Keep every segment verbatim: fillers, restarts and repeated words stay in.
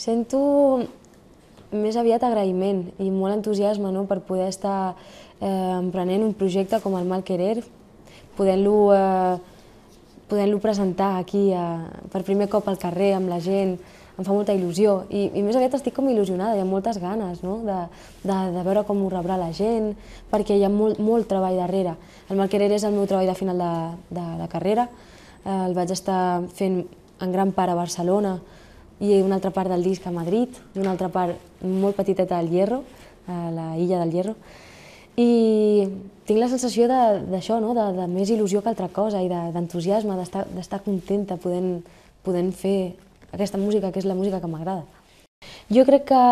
Sento més aviat agraïment i molt entusiasme, no?, per poder estar eh, emprenent un projecte com el Mal Querer, podent-lo eh, podent-lo presentar aquí eh, per primer cop al carrer amb la gent. Em fa molta il·lusió i, i més aviat estic com il·lusionada, hi ha moltes ganes, no?, de, de, de veure com ho rebrà la gent, perquè hi ha molt, molt treball darrere. El Mal Querer és el meu treball de final de, de, de carrera, eh, el vaig estar fent en gran part a Barcelona i una altra part del disc a Madrid i una altra part molt petiteta al Hierro, a la illa del Hierro, i tinc la sensació d'això, no?, de, de més il·lusió que altra cosa i d'entusiasme, de, d'estar contenta podent, podent fer aquesta música, que és la música que m'agrada. Jo crec que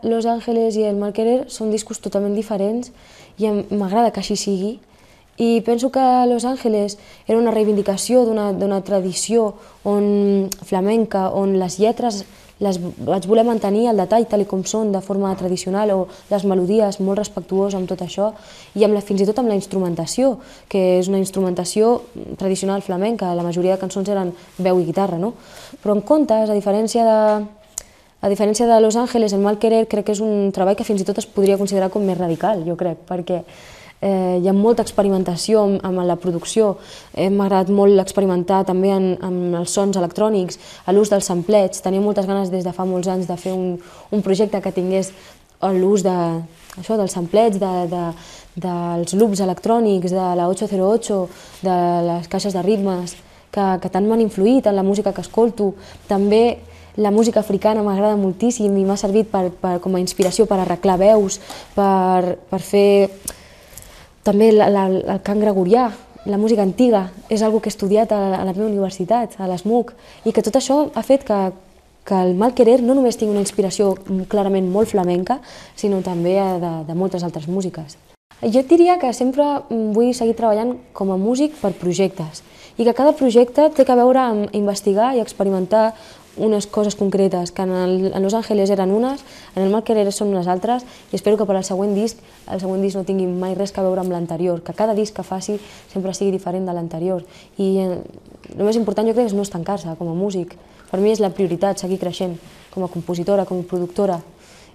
Los Ángeles i el Mal Querer són discos totalment diferents i m'agrada que així sigui. I penso que Los Ángeles era una reivindicació d'una tradició on, flamenca, on les lletres les vaig voler mantenir al detall, tal com són, de forma tradicional, o les melodies molt respectuoses amb tot això, i amb la, fins i tot amb la instrumentació, que és una instrumentació tradicional flamenca, la majoria de cançons eren veu i guitarra, no? Però en comptes, a diferència de, a diferència de Los Ángeles, el Mal Querer crec que és un treball que fins i tot es podria considerar com més radical, jo crec, perquè Eh, hi ha molta experimentació amb, amb la producció. Eh, M'ha agradat molt experimentar també en, amb els sons electrònics, a l'ús dels samplets. Tenia moltes ganes des de fa molts anys de fer un, un projecte que tingués l'ús de, això, dels samplets, de, de, dels loops electrònics, de la ocho cero ocho, de les caixes de ritmes, que, que tant m'han influït en la música que escolto. També la música africana m'agrada moltíssim i m'ha servit per, per, com a inspiració per arreglar veus, per, per fer també la, la, el cant gregorià, la música antiga, és una cosa que he estudiat a, a la meva universitat, a l'E S M U C, i que tot això ha fet que, que el Mal Querer no només tingui una inspiració clarament molt flamenca, sinó també de, de moltes altres músiques. Jo et diria que sempre vull seguir treballant com a músic per projectes, i que cada projecte té que veure amb investigar i experimentar unes coses concretes, que en, el, en Los Ángeles eren unes, en el Mal Querer són unes altres, i espero que per al següent disc, el següent disc no tingui mai res a veure amb l'anterior, que cada disc que faci sempre sigui diferent de l'anterior. I eh, el més important jo crec és no estancar-se com a músic. Per mi és la prioritat seguir creixent com a compositora, com a productora,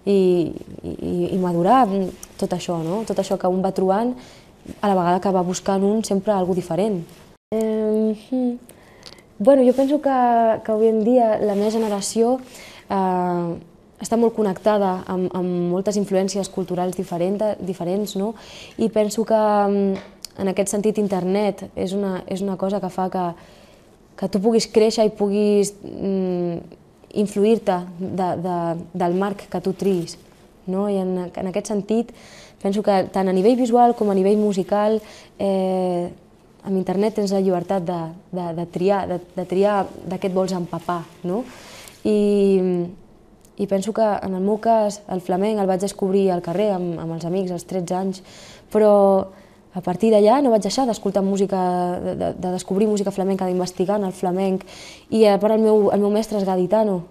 i, i, i madurar tot això, no? Tot això que un va trobant, a la vegada que va buscant un sempre alguna cosa diferent. Eh, hmm. Bueno, jo penso que, que avui en dia la meva generació eh, està molt connectada amb, amb moltes influències culturals diferent, diferents, no? I penso que en aquest sentit internet és una, és una cosa que fa que, que tu puguis créixer i puguis mm, influir-te de, de, del marc que tu triïs, no? I en, en aquest sentit penso que tant a nivell visual com a nivell musical eh, amb internet tens la llibertat de, de, de triar, de, de triar de què et vols empapar, no? I, I penso que en el meu cas el flamenc el vaig descobrir al carrer amb, amb els amics als tretze anys, però a partir d'allà no vaig deixar d'escoltar música, de, de, de descobrir música flamenca, d'investigar en el flamenc, i a part el meu, el meu mestre és gaditano,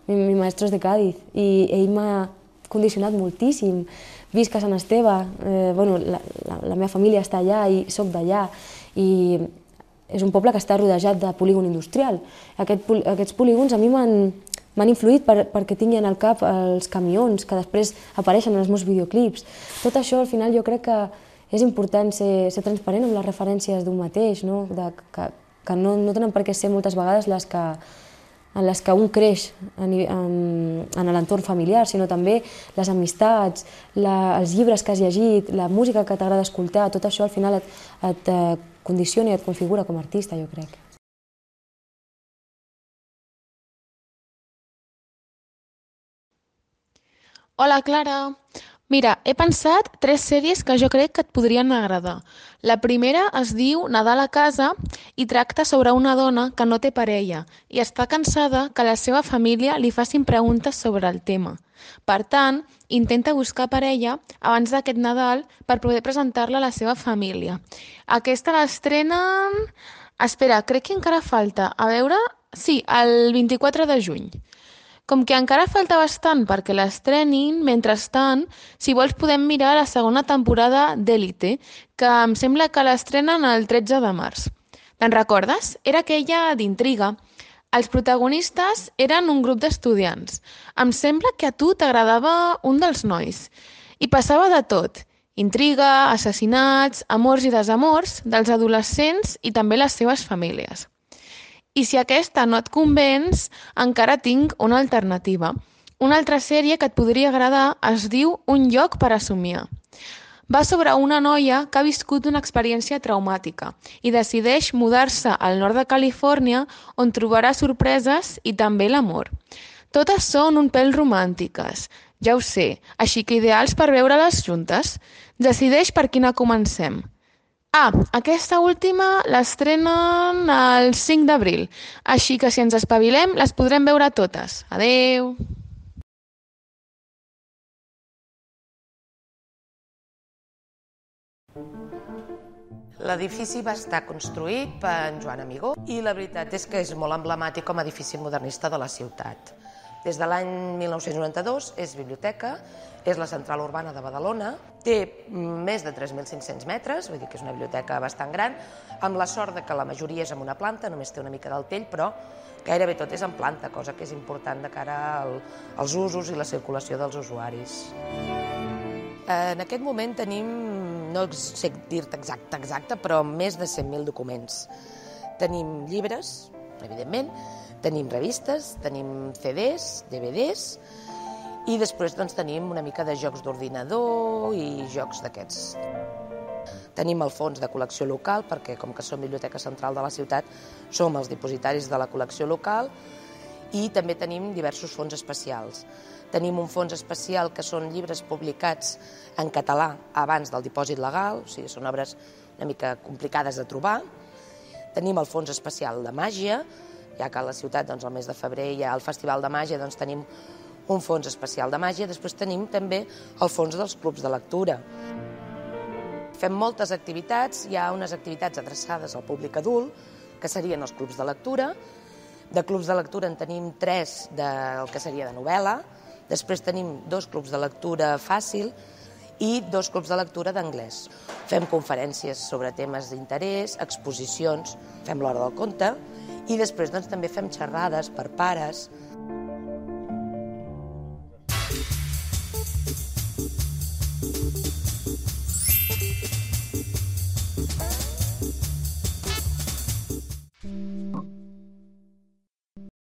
mi, mi maestro és de Cádiz, i ell m'ha condicionat moltíssim. Visc a Sant Esteve, eh, bueno, la, la, la meva família està allà i soc d'allà, i és un poble que està rodejat de polígon industrial. Aquest, aquests polígons a mi m'han influït per, perquè tinguin al cap els camions que després apareixen en els meus videoclips. Tot això al final jo crec que és important ser, ser transparent amb les referències d'un mateix, no? De, que, que no, no tenen per què ser moltes vegades les que en les que un creix en, en, en l'entorn familiar, sinó també les amistats, la, els llibres que has llegit, la música que t'agrada escoltar, tot això al final et, et condiciona i et configura com a artista, jo crec. Hola, Clara. Mira, he pensat tres sèries que jo crec que et podrien agradar. La primera es diu Nadal a casa i tracta sobre una dona que no té parella i està cansada que la seva família li facin preguntes sobre el tema. Per tant, intenta buscar parella abans d'aquest Nadal per poder presentar-la a la seva família. Aquesta l'estrenen... Espera, crec que encara falta. A veure... Sí, el vint-i-quatre de juny. Com que encara falta bastant perquè l'estrenin, mentrestant, si vols podem mirar la segona temporada d'Élite, que em sembla que l'estrenen el tretze de març. Te'n recordes? Era aquella d'intriga. Els protagonistes eren un grup d'estudiants. Em sembla que a tu t'agradava un dels nois. I passava de tot. Intriga, assassinats, amors i desamors dels adolescents i també les seves famílies. I si aquesta no et convenç, encara tinc una alternativa. Una altra sèrie que et podria agradar es diu Un lloc per a somiar. Va sobre una noia que ha viscut una experiència traumàtica i decideix mudar-se al nord de Califòrnia on trobarà sorpreses i també l'amor. Totes són un pèl romàntiques, ja ho sé, així que ideals per veure-les juntes. Decideix per quina comencem. Ah, aquesta última l'estrenen el cinc d'abril, així que si ens espavilem les podrem veure totes. Adeu! L'edifici va estar construït per en Joan Amigó i la veritat és que és molt emblemàtic com a edifici modernista de la ciutat. Des de l'any mil nou-cents noranta-dos és biblioteca, és la central urbana de Badalona, té més de tres mil cinc-cents metres, vull dir que és una biblioteca bastant gran, amb la sort de que la majoria és en una planta, només té una mica del tell, però gairebé tot és en planta, cosa que és important de cara al, als usos i la circulació dels usuaris. En aquest moment tenim, no sé dir-te exacte, exacte, però més de cent mil documents. Tenim llibres, evidentment, tenim revistes, tenim ce des, de ve des, i després doncs, tenim una mica de jocs d'ordinador i jocs d'aquests. Tenim el fons de col·lecció local, perquè com que som Biblioteca Central de la ciutat, som els dipositaris de la col·lecció local, i també tenim diversos fons especials. Tenim un fons especial que són llibres publicats en català abans del dipòsit legal, o sigui, són obres una mica complicades de trobar. Tenim el fons especial de màgia, ja que a la ciutat, doncs, el mes de febrer hi ha el Festival de Màgia, doncs tenim un fons especial de màgia. Després tenim també el fons dels clubs de lectura. Fem moltes activitats, hi ha unes activitats adreçades al públic adult, que serien els clubs de lectura. De clubs de lectura en tenim tres del que seria de novel·la, després tenim dos clubs de lectura fàcil i dos clubs de lectura d'anglès. Fem conferències sobre temes d'interès, exposicions, fem l'hora del conte, i després doncs, també fem xerrades per pares,